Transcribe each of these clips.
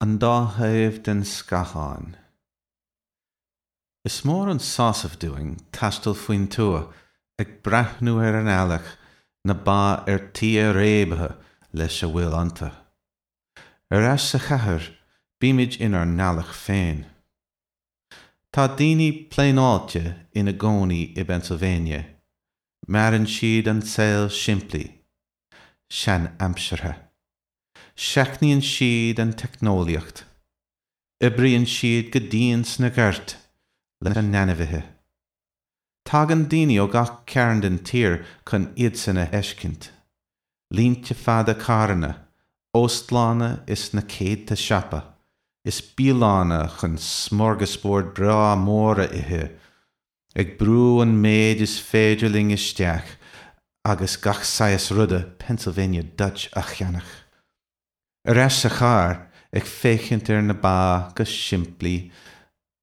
An dá thaobh den scáthán. Is mór an sásamh dúinn taisteal faoin tuath, ag breathnú ar an eallach, na ba ar tí a réabtha leis a bhfuil iontu. Ar ais sa chathair, bímid inár n-eallach féin. Tá daoine pléineáilte ina gcónaí i bPennsylvania. Maireann siad an saol simplí, sean-aimseartha. Seachnaíonn siad an teicneolaíocht. Oibríonn siad go dian sna goirt lena n-ainmhithe. Tagann daoine ó gach cearn den tír chun iadsan a fheiscint. Línte fada carranna, óstlanna is na céadta siopa is bialanna chun smorgasbord breá mór a ithe, ag brú an méid is féidir linn isteach agus gach saghas ruda Pennsylvania Dutch a cheannach. Ar ais sa charr, ag féachaint ar na ba go simplí,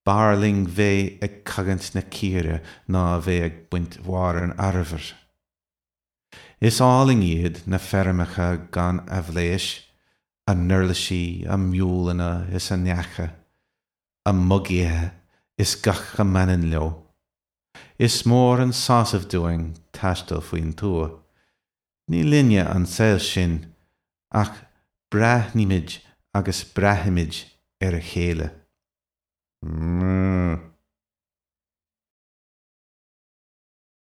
b'fhearr linn bheith ag cogaint na círe ná a bheith ag baint bharr an arbhair. Is álainn iad na feirmeacha gan aibhléis, a n-uirlisí, a miúileanna is a n-eacha. a mbugaithe is gach a mbaineann leo. Is mór an sásamh dúinn taisteal faoin tuath. Ní linne an saol sin ach breathnaímid agus braithimid ar a chéile.